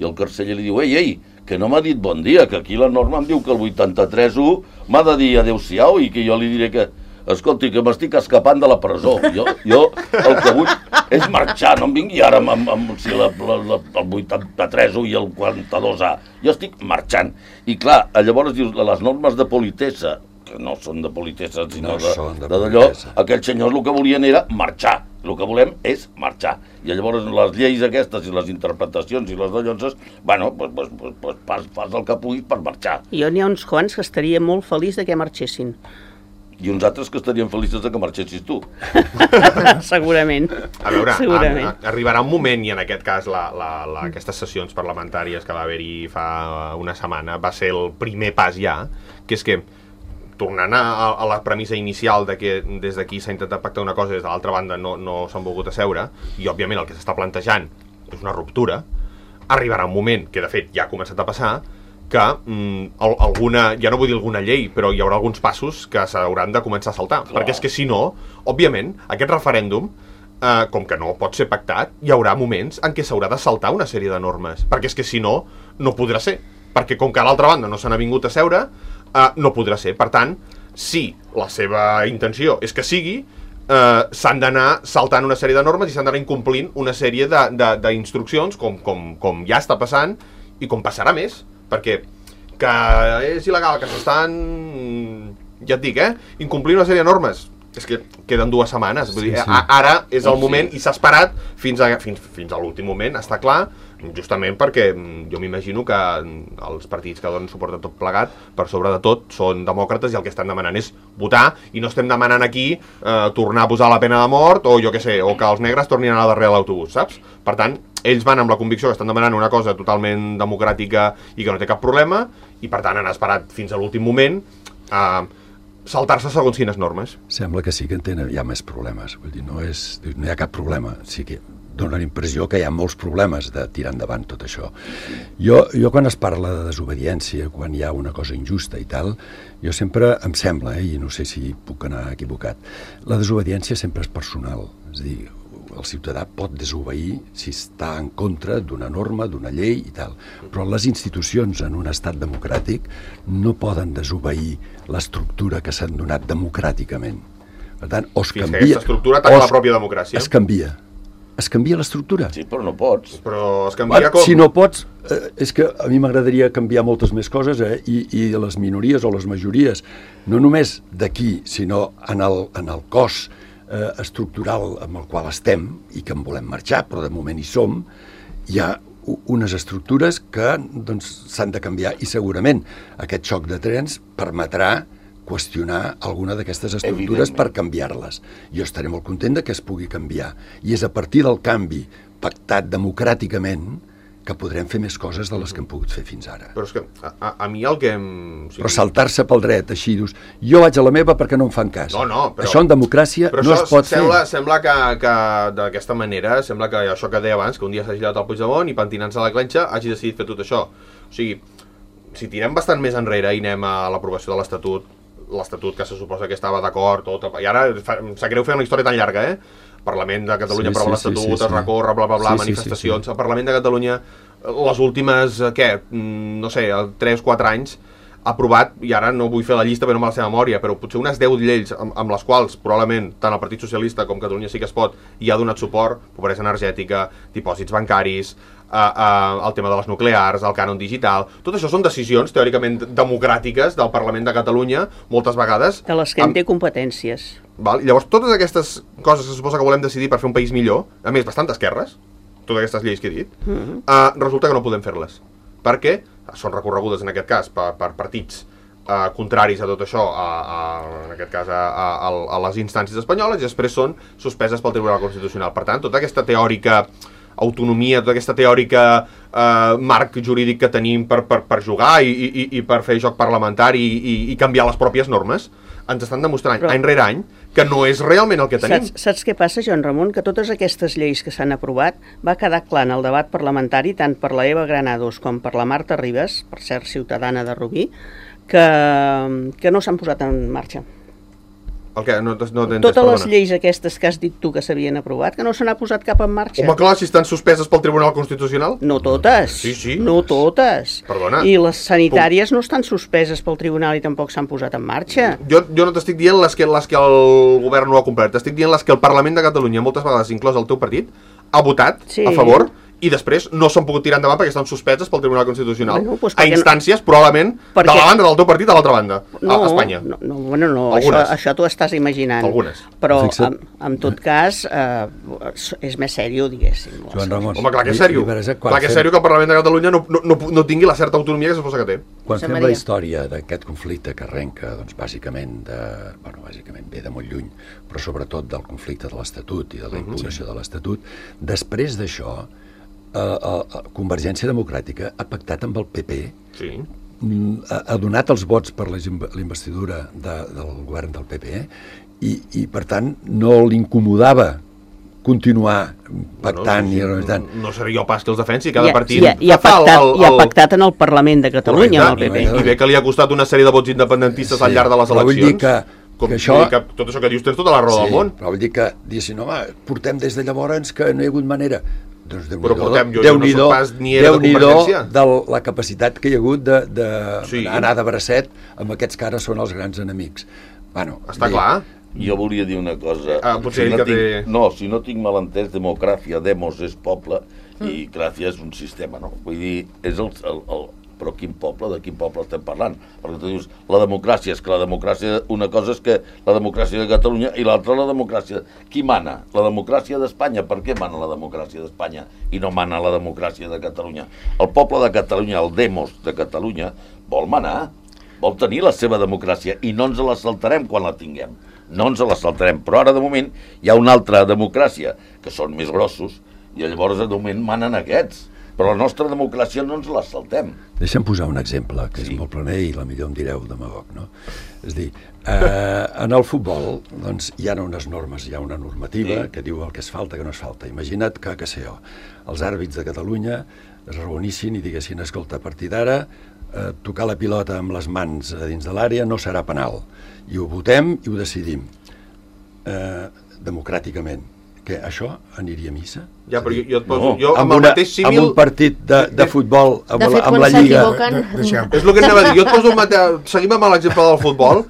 i el carceller li diu ei, ei, que no m'ha dit bon dia, que aquí la norma em diu que el vuitanta-tres u m'ha de dir adeu-siau i que jo li diré que, escolti, que m'estic escapant de la presó. Jo, jo el que vull és marxar, no em vingui ara amb, amb, amb si la, la, la, el vuitanta-tres u i el quaranta-dos a. Jo estic marxant. I clar, llavors dius, les normes de politessa, que no són de politessa, sinó no de d'allò, aquells senyors el que volien era marxar. El que volem és marxar. I llavors les lleis aquestes i les interpretacions i les dallonses, bueno, pues, pues, pues, pues, fas, fas el que puguis per marxar. Jo n'hi ha uns quants que estaria molt feliç de que marxessin. I uns altres que estarien feliços de que marxessis tu. Segurament. A veure, Segurament. A, a, arribarà un moment, i en aquest cas la, la, la, aquestes sessions parlamentàries que va haver-hi fa una setmana va ser el primer pas ja, que és que tornant a, a la premissa inicial de que des d'aquí s'ha intentat pactar una cosa i des de l'altra banda no, no s'han volgut asseure, i òbviament el que s'està plantejant és una ruptura, arribarà un moment, que de fet ja ha començat a passar, que mm, alguna, ja no vull dir alguna llei, però hi haurà alguns passos que s'hauran de començar a saltar. Clar. Perquè és que si no, òbviament, aquest referèndum, eh, com que no pot ser pactat, hi haurà moments en què s'haurà de saltar una sèrie de normes, perquè és que si no, no podrà ser. Perquè com que a l'altra banda no s'han vingut a seure, Uh, no podrà ser. Per tant, si la seva intenció és que sigui, uh, s'han d'anar saltant una sèrie de normes i s'han d'anar incomplint una sèrie d'instruccions, com, com, com ja està passant i com passarà més, perquè que és il·legal, que s'estan, ja et dic, eh, incomplint una sèrie de normes. És que queden dues setmanes. Vull dir, sí, sí. Ara és el moment i s'ha esperat fins a, fins, fins a l'últim moment, està clar, justament perquè jo m'imagino que els partits que donen suport a tot plegat, per sobre de tot, són demòcrates i el que estan demanant és votar, i no estem demanant aquí eh, tornar a posar la pena de mort o jo què sé, o que els negres tornin a anar darrere l'autobús, saps? Per tant, ells van amb la convicció que estan demanant una cosa totalment democràtica i que no té cap problema, i per tant han esperat fins a l'últim moment a eh, saltar-se segons quines normes. Sembla que sí que en tenen, hi ha més problemes. Vull dir, no, és, no hi ha cap problema. Sí que dona la impressió que hi ha molts problemes de tirar endavant tot això. Jo, jo quan es parla de desobediència, quan hi ha una cosa injusta i tal, jo sempre em sembla, eh, i no sé si puc anar equivocat, la desobediència sempre és personal. És a dir, el ciutadà pot desobeir si està en contra d'una norma, d'una llei i tal, però les institucions en un estat democràtic no poden desobeir l'estructura que s'han donat democràticament. Per tant, o es Fins canvia... que aquesta estructura ataca la pròpia democràcia. Es canvia. Es canvia l'estructura. Sí, però no pots. Però es canvia Bueno, com... si no pots, eh, és que a mi m'agradaria canviar moltes més coses, eh? I, i les minories o les majories, no només d'aquí, sinó en el, en el cos eh, estructural amb el qual estem i que en volem marxar, però de moment hi som, hi ha unes estructures que doncs, s'han de canviar i segurament aquest xoc de trens permetrà qüestionar alguna d'aquestes estructures per canviar-les. Jo estaré molt content de que es pugui canviar. I és a partir del canvi pactat democràticament que podrem fer més coses de les que hem pogut fer fins ara. Però és que a, a, a mi el que... Em... O sigui... Però saltar-se pel dret, així, dius, jo vaig a la meva perquè no em fan cas. No, no, però... Això en democràcia però no es pot sembla, fer. Sembla que, que d'aquesta manera, sembla que això que deia abans, que un dia s'ha girat al Puigdemont i pentinant-se a la clenxa hagi decidit fer tot això. O sigui, si tirem bastant més enrere i anem a l'aprovació de l'Estatut, l'Estatut que se suposa que estava d'acord, tot, i ara fa, em sap greu fer una història tan llarga, eh? Parlament de Catalunya sí, aprova sí, l'Estatut, sí, sí, sí. es recorre, bla, bla, bla, sí, manifestacions. Sí, sí, sí. El Parlament de Catalunya, les últimes, què, no sé, tres o quatre anys, ha aprovat, i ara no vull fer la llista perquè no me la sé de memòria, però potser unes deu lleis amb, amb les quals probablement tant el Partit Socialista com Catalunya Sí que es pot hi ha donat suport, pobresa energètica, dipòsits bancaris, Uh, uh, el tema de les nuclears, el cànon digital, tot això són decisions teòricament democràtiques del Parlament de Catalunya, moltes vegades... De les que en té competències. Val? Llavors, totes aquestes coses que se suposa que volem decidir per fer un país millor, a més, bastant d'esquerres, totes aquestes lleis que he dit, uh-huh. uh, resulta que no podem fer-les. Perquè són recorregudes, en aquest cas, per, per partits uh, contraris a tot això, a, a, en aquest cas, a, a, a les instàncies espanyoles, i després són suspeses pel Tribunal Constitucional. Per tant, tota aquesta teòrica autonomia, tota aquesta teòrica eh, marc jurídic que tenim per, per, per jugar i, i, i per fer joc parlamentari i, i canviar les pròpies normes, ens estan demostrant Però, any rere any que no és realment el que tenim. Saps, saps què passa, Joan Ramon? Que totes aquestes lleis que s'han aprovat va quedar clar en el debat parlamentari, tant per la Eva Granados com per la Marta Ribas, per cert ciutadana de Rubí, que, que no s'han posat en marxa. El que? No, no Totes les perdona. lleis aquestes que has dit tu que s'havien aprovat, que no se n'ha posat cap en marxa. Home, clar, si estan suspeses pel Tribunal Constitucional? No totes. Sí, sí. No totes. Perdona. I les sanitàries Puc... no estan suspeses pel Tribunal i tampoc s'han posat en marxa. Jo, jo no t'estic dient les que, les que el govern no ha complert, t'estic dient les que el Parlament de Catalunya, moltes vegades inclòs el teu partit, ha votat sí. a favor i després no s'han pogut tirar endavant perquè estan suspeses pel Tribunal Constitucional. Bueno, pues a instàncies, no... probablement, perquè... de la banda del teu partit a l'altra banda, no, a Espanya. No, no, bueno, no, això, això t'ho estàs imaginant. Algunes. Però, en, en tot cas, eh, és més sèrio, diguéssim. Joan Ramon. Home, clar que és sèrio. Clar que és sèrio que el Parlament de Catalunya no, no, no, no tingui la certa autonomia que se suposa que té. Quan fem la història d'aquest conflicte que arrenca, doncs, bàsicament, de, bueno, bàsicament ve de molt lluny, però sobretot del conflicte de l'Estatut i de la impugnació de l'Estatut, després d'això, Uh, uh, Convergència Democràtica ha pactat amb el P P, sí. ha, ha donat els vots per la investidura de, del govern del P P i, i per tant no l'incomodava continuar pactant bueno, sí, sí. i tant. No, no seria jo pas que els defensi, cada I, partit i, i, ha pactat, el, el, i ha pactat en el Parlament de Catalunya amb el P P. I, I bé que li ha costat una sèrie de vots independentistes sí, al llarg de les eleccions. Vull dir que Com, que això... que tot això que dius tens tota la raó sí, del món. Però vull dir que, diguessin, home, portem des de llavors que no hi ha hagut manera. Doncs Déu-n'hi-do, Déu-n'hi-do, Déu-n'hi-do de la capacitat que hi ha hagut de, de sí. anar de bracet amb aquests que ara són els grans enemics. Bueno, Està bé. clar. Jo volia dir una cosa. Ah, potser si no, que tinc, té... no, si no tinc malentès, democràcia, demos és poble mm. i gràcia és un sistema, no? Vull dir, és el, el, el però quin poble, de quin poble estem parlant? Perquè tu dius, la democràcia, és que la democràcia, una cosa és que la democràcia de Catalunya i l'altra la democràcia. Qui mana? La democràcia d'Espanya. Per què mana la democràcia d'Espanya i no mana la democràcia de Catalunya? El poble de Catalunya, el demos de Catalunya, vol manar, vol tenir la seva democràcia i no ens la saltarem quan la tinguem. No ens la saltarem, però ara de moment hi ha una altra democràcia que són més grossos i llavors de moment manen aquests. Però la nostra democràcia no ens la saltem. Deixa'm posar un exemple, que Sí. és molt planer i la millor em direu demagog, no? És a dir, eh, en el futbol doncs, hi ha unes normes, hi ha una normativa Sí. que diu el que es falta, que no es falta. Imagina't que, que sé jo, els àrbits de Catalunya es reunissin i diguessin, escolta, a partir d'ara eh, tocar la pilota amb les mans a dins de l'àrea no serà penal. I ho votem i ho decidim eh, democràticament. Que això aniria a missa? Ja, però jo, jo et poso... No. Jo, amb, amb, el una, mateix símil... amb un partit de, de futbol amb, De fet, la, amb quan la Lliga... s'equivoquen... De- deixem. És el que anava a dir. Jo et poso un mate... Seguim amb l'exemple del futbol,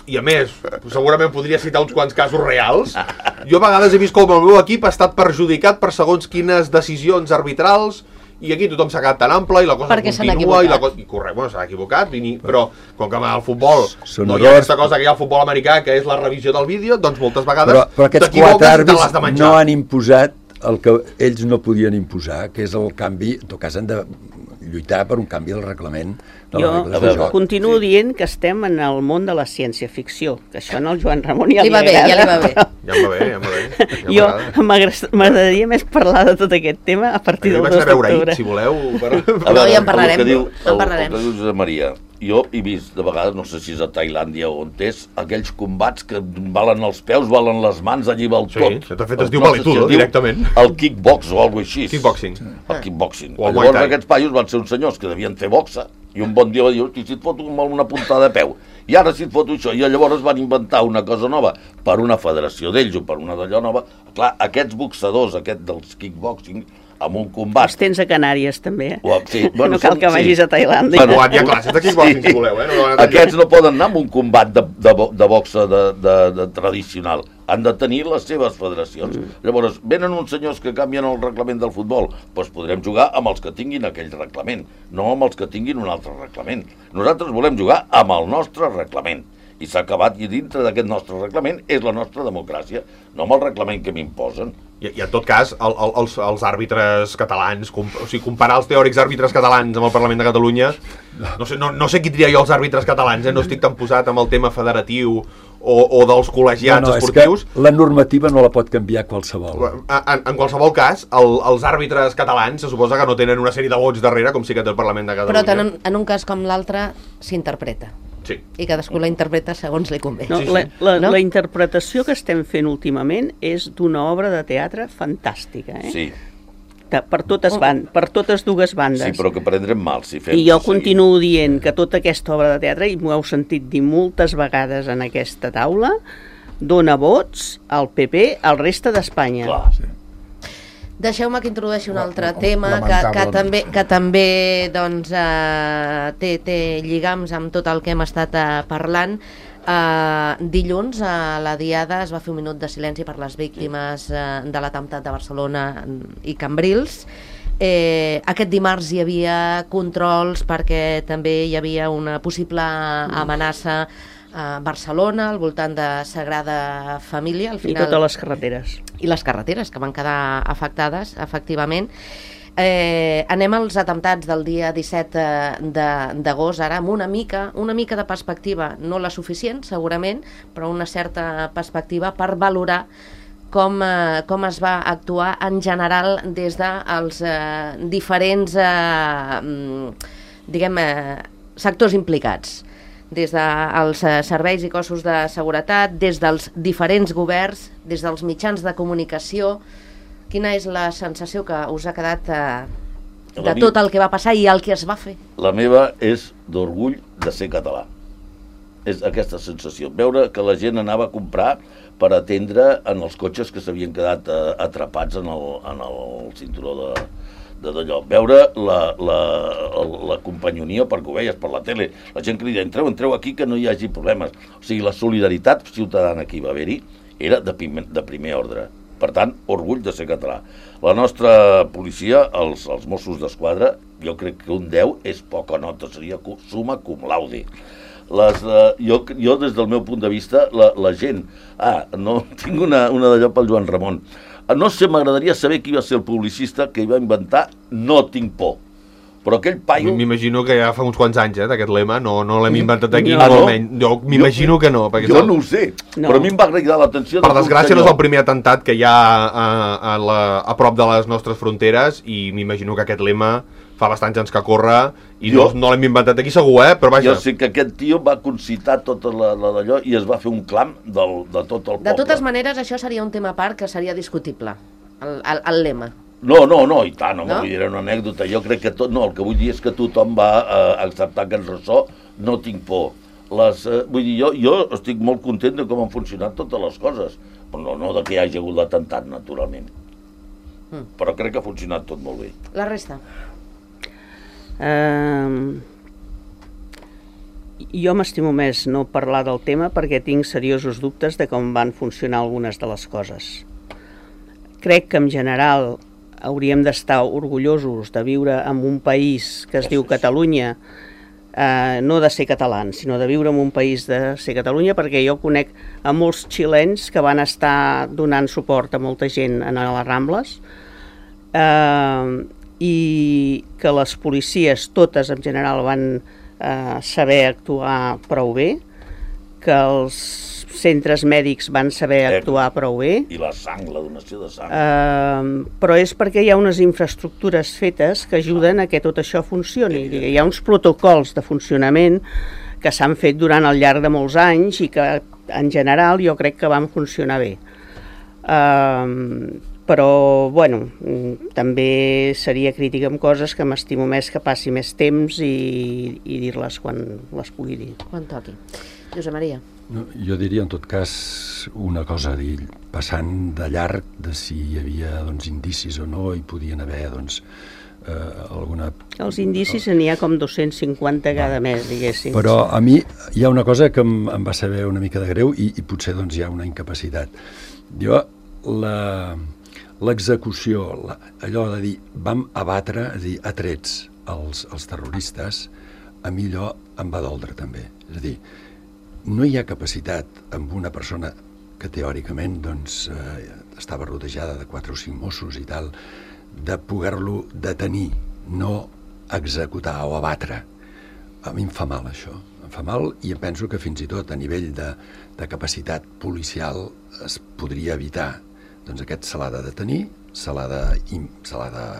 i a més, segurament podria citar uns quants casos reals. Jo a vegades he vist com el meu equip ha estat perjudicat per segons quines decisions arbitrals, i aquí tothom s'ha quedat tan ample i la cosa Perquè s'han continua i la equivocat. cosa... I correcte, bueno, s'ha equivocat, vini, però com que amb el futbol Són no hi ha errors. aquesta cosa que hi ha al futbol americà, que és la revisió del vídeo, doncs moltes vegades Però, però aquests t'equivoques quatre i te l'has àrbits de menjar. no han imposat el que ells no podien imposar, que és el canvi, en tot cas han de lluitar per un canvi del reglament de les Jo regles de veure, joc. continuo Sí. dient que estem en el món de la ciència-ficció, que això en el Joan Ramon ja Li li, va bé, ja li va agrada. bé. Ja em va bé, ja em va bé. Ja Jo m'agrada. m'agrada- m'agradaria més parlar de tot aquest tema a partir Jo del vaig dos anar a veure ahir, d'octubre. si voleu. Per... A No, ja en parlarem, El que diu, en el, parlarem. el que diu Josep Maria, jo he vist de vegades, no sé si és a Tailàndia o on és, aquells combats que valen els peus, valen les mans, allí val Sí, tot. de fet es Els diu nostres, valetudo, es diu directament. El kickbox o alguna així. Kickboxing. El kickboxing. O el Llavors Muay Thai. aquests paios van ser uns senyors que devien fer boxa, i un bon dia va dir, hosti, si et foto amb una puntada de peu, i ara si et foto això, i llavors van inventar una cosa nova per una federació d'ells o per una d'allò nova. Clar, aquests boxadors, aquest dels kickboxing, amb un combat... Els tens a Canàries, també, eh? O, sí, no cal són- que vagis a Tailàndia. Bueno, hi ha classes de kickboxing, si voleu, eh? No, no, no, Aquests no poden anar amb un combat de, de, bo- de boxa de, de, de tradicional. Han de tenir les seves federacions. Mm. Llavors, venen uns senyors que canvien el reglament del futbol, doncs podrem jugar amb els que tinguin aquell reglament, no amb els que tinguin un altre reglament. Nosaltres volem jugar amb el nostre reglament. I s'ha acabat, i dintre d'aquest nostre reglament és la nostra democràcia, no amb el reglament que m'imposen. I, I en tot cas, el, el, els, els àrbitres catalans, com, o sigui, comparar els teòrics àrbitres catalans amb el Parlament de Catalunya, no sé, no, no sé qui tria jo els àrbitres catalans, eh? No estic tan posat amb el tema federatiu o, o dels col·legiats no, no, esportius. És que la normativa no la pot canviar qualsevol. En, en qualsevol cas, el, els àrbitres catalans se suposa que no tenen una sèrie de vots darrere, com sí que té el Parlament de Catalunya. Però tant en, en un cas com l'altre s'interpreta. Sí. I cadascú la interpreta segons li convé. No, Sí, sí. la, la, No? la interpretació que estem fent últimament és d'una obra de teatre fantàstica, eh? Sí, De, per, totes ban per totes dues bandes. sí, però que prendrem mal si fem... I jo si continuo dient que tota aquesta obra de teatre, i m'ho heu sentit dir moltes vegades en aquesta taula, dona vots al P P al reste d'Espanya. Clar, Sí. Deixeu-me que introdueixi un La- altre la- tema que, que lamentablement. també, que també doncs, eh, té, té lligams amb tot el que hem estat eh, parlant. Eh, dilluns a la Diada es va fer un minut de silenci per les víctimes eh, de l'atemptat de Barcelona i Cambrils. Eh, aquest dimarts hi havia controls perquè també hi havia una possible amenaça a Barcelona, al voltant de Sagrada Família. Al I final, totes les carreteres. i les carreteres que van quedar afectades, efectivament. Eh, anem als atemptats del dia disset d'agost, ara amb una mica, una mica de perspectiva, no la suficient segurament, però una certa perspectiva per valorar com, eh, com es va actuar en general des dels eh, diferents eh, mm, diguem, eh, sectors implicats, des dels eh, serveis i cossos de seguretat, des dels diferents governs, des dels mitjans de comunicació. Quina és la sensació que us ha quedat eh, de La mi- tot el que va passar i el que es va fer? La meva és d'orgull de ser català. És aquesta sensació. Veure que la gent anava a comprar per atendre en els cotxes que s'havien quedat eh, atrapats en el, en el cinturó de de d'allò. Veure la, la, la companyonia, perquè ho veies per la tele, la gent que li deia, entreu, entreu aquí que no hi hagi problemes. O sigui, la solidaritat ciutadana que hi va haver-hi era de primer, de primer ordre. Per tant, orgull de ser català. La nostra policia, els, els Mossos d'Esquadra, jo crec que un deu és poca nota, seria summa cum laude. Les, uh, jo, jo, des del meu punt de vista, la, la gent... Ah, no, tinc una, una d'allò pel Joan Ramon. No sé, m'agradaria saber qui va ser el publicista que hi va inventar no tinc por. O Però aquell paio... M'imagino que ja fa uns quants anys, eh, d'aquest lema, no, no l'hem inventat aquí, No, no, no. menys. Jo m'imagino que no. Perquè Jo és el- no ho sé, No. però a mi em va cridar l'atenció... Per de que un desgràcia no és senyor- el primer atemptat que hi ha a, a, la, a prop de les nostres fronteres i m'imagino que aquest lema fa bastants anys que corre i Jo- no, no l'hem inventat aquí segur, eh? Però vaja, Jo sé que aquest tio va concitar tota la, la d'allò i es va fer un clam del, de tot el poble. De totes maneres, això seria un tema a part que seria discutible, el, el, el lema. No, no, no, i tant, home, No? vull dir, era una anècdota. Jo crec que tot... No, el que vull dir és que tothom va eh, acceptar aquest ressò, no tinc por. Les, eh, vull dir, jo, jo estic molt content de com han funcionat totes les coses, però no, no de que hi hagi hagut l'atemptat, naturalment. Mm. Però crec que ha funcionat tot molt bé. La resta. Uh, jo m'estimo més no parlar del tema perquè tinc seriosos dubtes de com van funcionar algunes de les coses. Crec que en general hauríem d'estar orgullosos de viure en un país que es diu Catalunya, eh, no de ser catalans, sinó de viure en un país de ser Catalunya, perquè jo conec a molts xilens que van estar donant suport a molta gent en les Rambles, eh, i que les policies totes en general van eh, saber actuar prou bé, que els centres mèdics van saber actuar prou bé, I la sang, la donació de sang. eh, però és perquè hi ha unes infraestructures fetes que ajuden a que tot això funcioni. Hi ha uns protocols de funcionament que s'han fet durant el llarg de molts anys i que en general jo crec que van funcionar bé. Eh, però, bueno, mm, també seria crítica amb coses que m'estimo més que passi més temps i, i dir-les quan les pugui dir. Quan toqui. Josep Maria. No, jo diria en tot cas una cosa, dir, passant de llarg de si hi havia doncs, indicis o no, i podien haver doncs, eh, alguna... Els indicis n'hi ha com dos-cents cinquanta cada mes, diguéssim. Però a mi hi ha una cosa que em, em va saber una mica de greu i, i potser doncs, hi ha una incapacitat. Jo, la, l'execució, la, allò de dir vam abatre, és a dir, a trets els, els terroristes, a mi allò em va doldre també. És a dir, no hi ha capacitat amb una persona que teòricament doncs, eh, estava rodejada de quatre o cinc Mossos i tal, de poder-lo detenir, no executar o abatre. A mi em fa mal això, em fa mal i em penso que fins i tot a nivell de, de capacitat policial es podria evitar. Doncs aquest se l'ha de detenir, se l'ha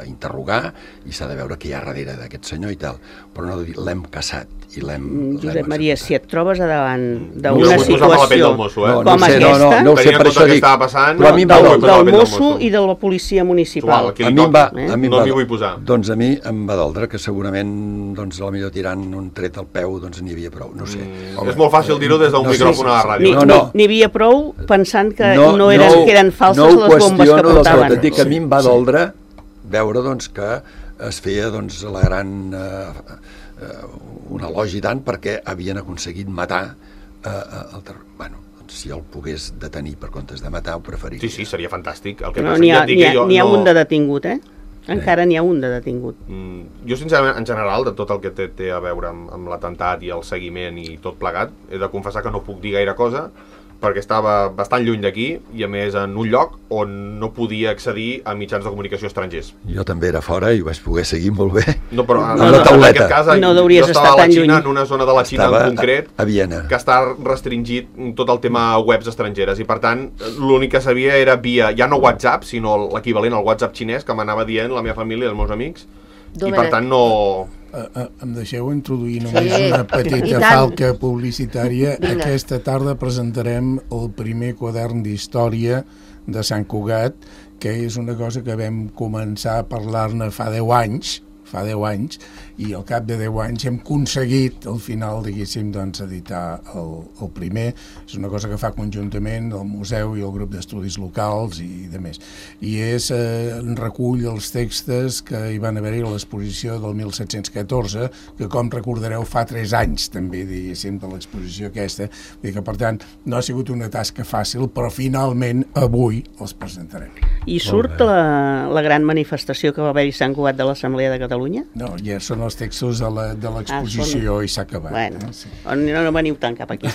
d'interrogar i s'ha de veure què hi ha darrere d'aquest senyor i tal, però no de dir l'hem caçat i l'hem... Josep Maria, si et trobes a davant No d'una vull posar-me a la pell situació del mosso, eh? No, com no ho sé, no, no, aquesta, no ho sé, Tenint en per compte això el que dic. estava passant, Però a mi em va no vull doldre. posar la del pell del mosso i de la policia municipal. Igual, aquí li A mi em va, toqui. a mi em No va, m'hi vull posar. Doncs a mi em va doldre que segurament doncs, a la millor tirant un tret al peu doncs n'hi havia prou, no sé. Mm, és molt fàcil dir-ho des d'un No sé. micròfon a la N'hi ràdio. No, no. n'hi havia prou pensant que no, eren, no, que eren falses no les bombes que del tot, portaven. et dic que a mi em va doldre veure doncs, que es feia doncs, la gran eh, eh, un elogi tant perquè havien aconseguit matar eh, el terror. Bueno, doncs, si el pogués detenir per comptes de matar, ho preferiria. Sí, sí, seria fantàstic. El que No, passa n'hi que ha, ja et dic n'hi ha, que jo n'hi ha no- un de detingut, eh? Encara n'hi ha un de detingut. Mm, jo, sincerament, en general, de tot el que té, té a veure amb, amb l'atemptat i el seguiment i tot plegat, he de confessar que no puc dir gaire cosa, perquè estava bastant lluny d'aquí i, a més, en un lloc on no podia accedir a mitjans de comunicació estrangers. Jo també era fora i ho vaig poder seguir molt bé. No, però en, Amb la en tauleta. aquest cas, No hauries jo estava estat a la tan Xina, lluny. en una zona de la Xina Estava en concret, a, a Viena. que està restringit tot el tema webs estrangeres i, per tant, l'únic que sabia era via, ja no WhatsApp, sinó l'equivalent al WhatsApp xinès que m'anava dient la meva família i els meus amics, i, per tant, no... Uh, uh, em deixeu introduir només Sí, una i petita tant. falca publicitària. Vinga. Aquesta tarda presentarem el primer quadern d'història de Sant Cugat, que és una cosa que vam començar a parlar-ne fa deu anys, fa deu anys, i al cap de deu anys hem aconseguit, al final, diguéssim, doncs, editar el, el primer. És una cosa que fa conjuntament el museu i el grup d'estudis locals i de més. I és, eh, recull els textos que hi van haver-hi a l'exposició del mil set-cents catorze, que, com recordareu, fa tres anys, també, diguéssim, de l'exposició aquesta. Vull dir que, per tant, no ha sigut una tasca fàcil, però finalment, avui, els presentarem. I surt la, la gran manifestació que va haver-hi a Sant Cugat de l'Assemblea de Catalunya? No, ja són els textos de la- de l'exposició i s'ha acabat. Bueno, eh? Sí. no, no veniu tant cap aquí.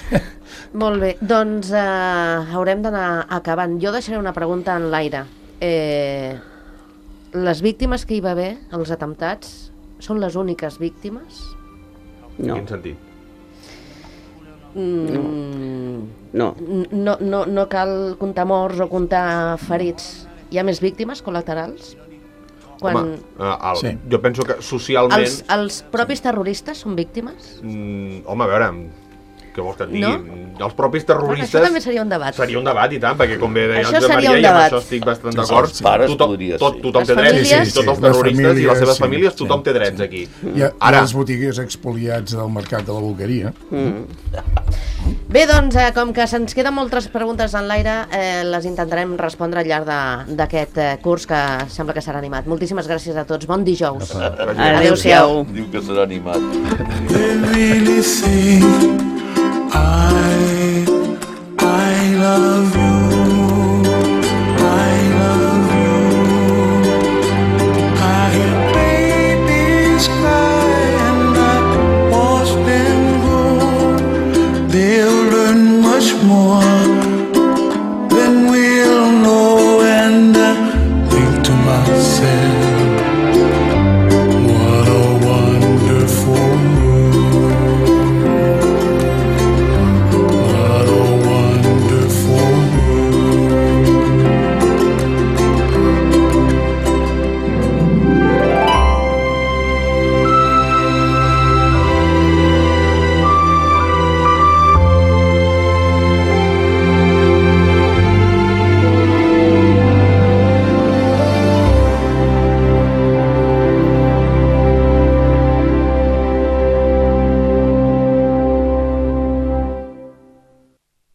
Molt bé, doncs eh, haurem d'anar acabant. Jo deixaré una pregunta en l'aire. Eh, les víctimes que hi va haver, els atemptats, són les úniques víctimes? No. En quin sentit? Mm, No. no, no, no cal comptar morts o comptar ferits. Hi ha més víctimes col·laterals? Quan... Home, uh, el, Sí. jo penso que socialment... Els, els propis terroristes són víctimes? Mm, home, a veure, què vols que et digui? No? Els propis Bueno, terroristes... això també seria un debat. Seria un debat i tant, perquè com bé deia Això el Josep seria Maria, un i amb debat. això estic bastant Sí, d'acord. els pares tothom, podria tot, ser. tothom Les té drets, famílies- sí, tots els Les terroristes i famílies, les seves sí, famílies, sí. tothom té drets aquí. Hi ha, Ara, Ara... les botigues expoliats del mercat de la Boqueria. Bé, doncs, eh, com que se'ns queden moltes preguntes en l'aire, eh, les intentarem respondre al llarg de- d'aquest eh, curs que sembla que serà animat. Moltíssimes gràcies a tots. Bon dijous. Adéu-siau. Diu que serà animat. They really think I